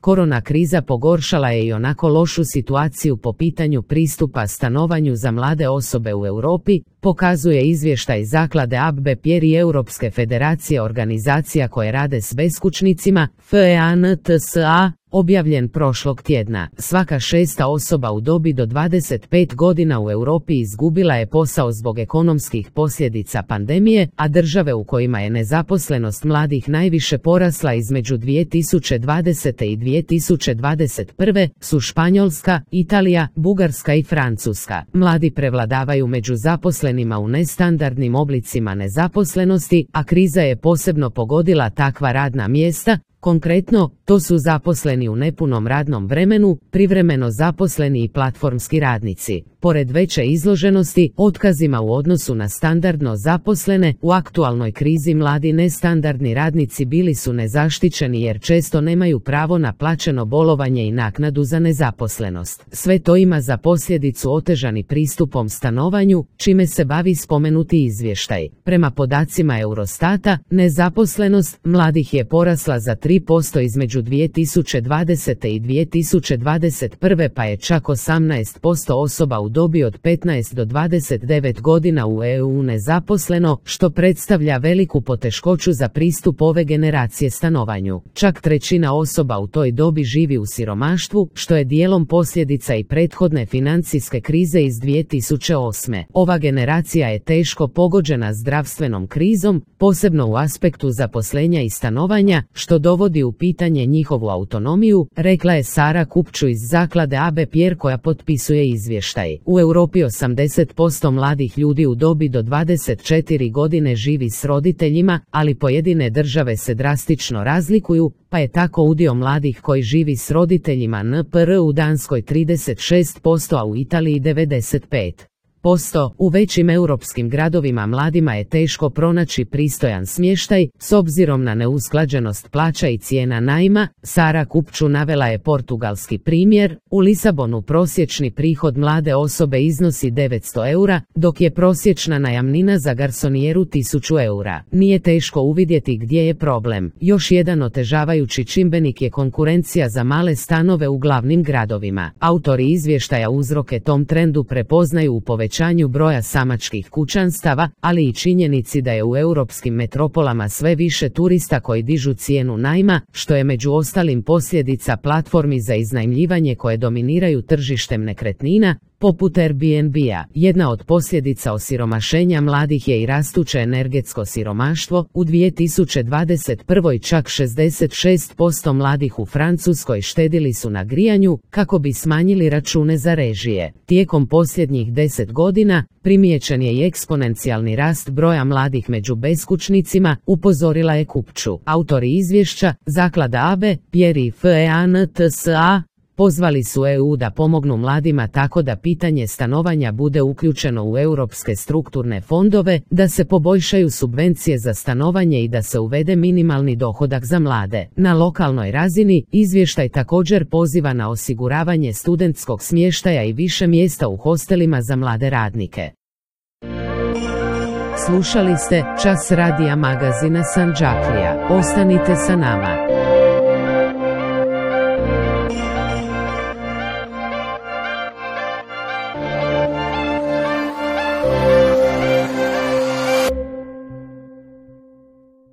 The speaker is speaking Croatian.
Korona kriza pogoršala je i onako lošu situaciju po pitanju pristupa stanovanju za mlade osobe u Europi, pokazuje izvještaj zaklade ABPR i Europske federacije organizacija koje rade s beskućnicima, FEANTSA, objavljen prošlog tjedna. Svaka šesta osoba u dobi do 25 godina u Europi izgubila je posao zbog ekonomskih posljedica pandemije, a države u kojima je nezaposlenost mladih najviše porasla između 2020. i 2021. su Španjolska, Italija, Bugarska i Francuska. Mladi prevladavaju među zaposlenima u nestandardnim oblicima nezaposlenosti, a kriza je posebno pogodila takva radna mjesta. Konkretno, to su zaposleni u nepunom radnom vremenu, privremeno zaposleni i platformski radnici. Pored veće izloženosti otkazima u odnosu na standardno zaposlene, u aktualnoj krizi mladi nestandardni radnici bili su nezaštićeni jer često nemaju pravo na plaćeno bolovanje i naknadu za nezaposlenost. Sve to ima za posljedicu otežani pristupom stanovanju, čime se bavi spomenuti izvještaj. Prema podacima Eurostata, nezaposlenost mladih je porasla za 3% između 2020. i 2021. pa je čak 18% osoba u dobi od 15 do 29 godina u EU nezaposleno, što predstavlja veliku poteškoću za pristup ove generacije stanovanju. Čak trećina osoba u toj dobi živi u siromaštvu, što je dijelom posljedica i prethodne financijske krize iz 2008. Ova generacija je teško pogođena zdravstvenom krizom, posebno u aspektu zaposlenja i stanovanja, što dovodi u pitanje njihovu autonomiju, rekla je Sara Kupču iz zaklade ABPR koja potpisuje izvještaj. U Europi 80% mladih ljudi u dobi do 24 godine živi s roditeljima, ali pojedine države se drastično razlikuju, pa je tako udio mladih koji živi s roditeljima NPR u Danskoj 36%, a u Italiji 95%. U većim europskim gradovima mladima je teško pronaći pristojan smještaj, s obzirom na neusklađenost plaća i cijena najma. Sara Kupču navela je portugalski primjer. U Lisabonu prosječni prihod mlade osobe iznosi 900 eura, dok je prosječna najamnina za garsonijeru 1000 eura. Nije teško uvidjeti gdje je problem. Još jedan otežavajući čimbenik je konkurencija za male stanove u glavnim gradovima. Autori izvještaja uzroke tom trendu prepoznaju u povećanju broja samačkih kućanstava, ali i činjenici da je u europskim metropolama sve više turista koji dižu cijenu najma, što je među ostalim posljedica platformi za iznajmljivanje koje dominiraju tržištem nekretnina, poput Airbnb-a. Jedna od posljedica osiromašenja mladih je i rastuće energetsko siromaštvo. U 2021. čak 66% mladih u Francuskoj štedili su na grijanju kako bi smanjili račune za režije. Tijekom posljednjih 10 godina primijećen je i eksponencijalni rast broja mladih među beskućnicima, upozorila je Kupču. Autori izvješća, zaklada ABPR i FEANTSA, pozvali su EU da pomognu mladima tako da pitanje stanovanja bude uključeno u europske strukturne fondove, da se poboljšaju subvencije za stanovanje i da se uvede minimalni dohodak za mlade. Na lokalnoj razini, izvještaj također poziva na osiguravanje studentskog smještaja i više mjesta u hostelima za mlade radnike. Slušali ste Čas radija magazina Sandžaklija. Ostanite sa nama.